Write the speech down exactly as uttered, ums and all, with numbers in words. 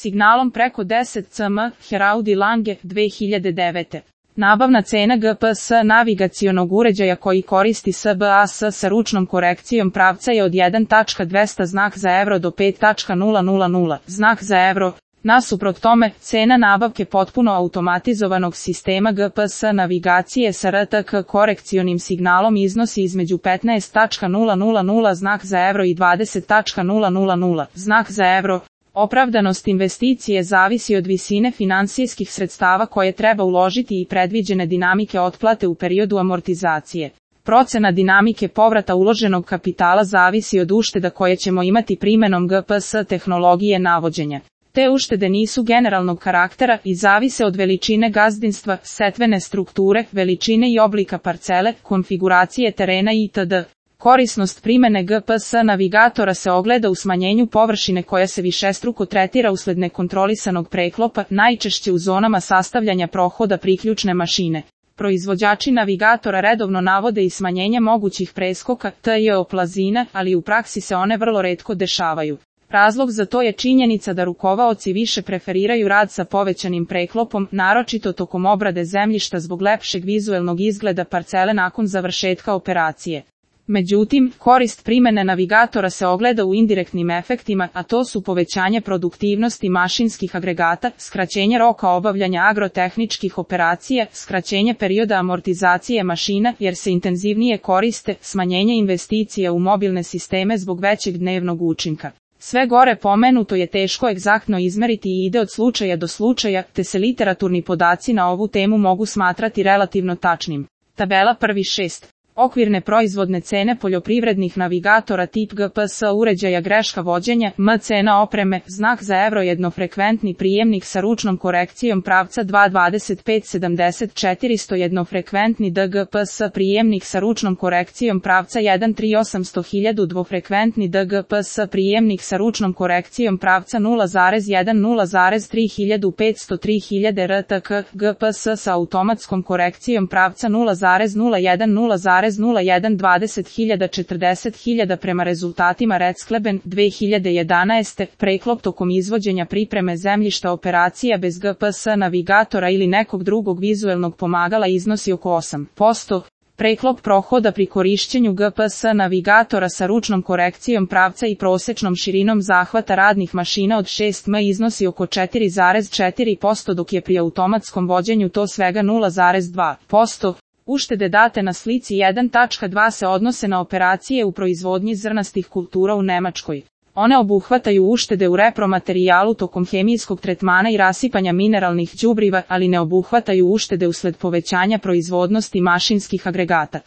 signalom preko deset cm, Heraudi Lange, dve hiljade devete. Nabavna cena G P S navigacionog uređaja koji koristi S B A S sa ručnom korekcijom pravca je od jedan zarez dvesta znak za evro do pet zarez nula nula nula znak za evro. Nasuprot tome, cena nabavke potpuno automatizovanog sistema G P S navigacije sa R T K korekcionim signalom iznosi između petnaest zarez nula nula nula znak za evro i dvadeset zarez nula nula nula znak za evro. Opravdanost investicije zavisi od visine finansijskih sredstava koje treba uložiti i predviđene dinamike otplate u periodu amortizacije. Procena dinamike povrata uloženog kapitala zavisi od ušteda koje ćemo imati primenom G P S tehnologije navođenja. Te uštede nisu generalnog karaktera i zavise od veličine gazdinstva, setvene strukture, veličine i oblika parcele, konfiguracije terena itd. Korisnost primene G P S navigatora se ogleda u smanjenju površine koja se višestruko tretira usled nekontrolisanog preklopa, najčešće u zonama sastavljanja prohoda priključne mašine. Proizvođači navigatora redovno navode i smanjenje mogućih preskoka T J O plazina, ali u praksi se one vrlo retko dešavaju. Razlog za to je činjenica da rukovaoci više preferiraju rad sa povećanim preklopom, naročito tokom obrade zemljišta zbog lepšeg vizuelnog izgleda parcele nakon završetka operacije. Međutim, korist primene navigatora se ogleda u indirektnim efektima, a to su povećanje produktivnosti mašinskih agregata, skraćenje roka obavljanja agrotehničkih operacija, skraćenje perioda amortizacije mašina jer se intenzivnije koriste, smanjenje investicija u mobilne sisteme zbog većeg dnevnog učinka. Sve gore pomenuto je teško egzaktno izmeriti i ide od slučaja do slučaja, te se literaturni podaci na ovu temu mogu smatrati relativno tačnim. Tabela prvi šest. Okvirne proizvodne cene poljoprivrednih navigatora tip G P S uređaja greška vođenja, M cena opreme, znak za evro jednofrekventni prijemnik sa ručnom korekcijom pravca dva dvadeset pet sedamdeset četiristo jednofrekventni D G P S prijemnik sa ručnom korekcijom pravca jedan tri osamsto hiljadu dvofrekventni D G P S prijemnik sa ručnom korekcijom pravca nula zarez jedan nula zarez tri hiljadu petsto tri hiljade R T K, G P S sa automatskom korekcijom pravca nula zarez nula jedan nula zarez nula jedan dvadeset hiljada četrdeset hiljada prema rezultatima Redskleben dve hiljade jedanaeste. Preklop tokom izvođenja pripreme zemljišta operacija bez G P S navigatora ili nekog drugog vizuelnog pomagala iznosi oko osam posto. Preklop prohoda pri korišćenju G P S navigatora sa ručnom korekcijom pravca i prosečnom širinom zahvata radnih mašina od šest metara iznosi oko četiri zarez četiri posto dok je pri automatskom vođenju to svega nula zarez dva posto. Uštede date na slici jedan zarez dva se odnose na operacije u proizvodnji zrnastih kultura u Nemačkoj. One obuhvataju uštede u repromaterijalu tokom hemijskog tretmana i rasipanja mineralnih đubriva, ali ne obuhvataju uštede usled povećanja proizvodnosti mašinskih agregata.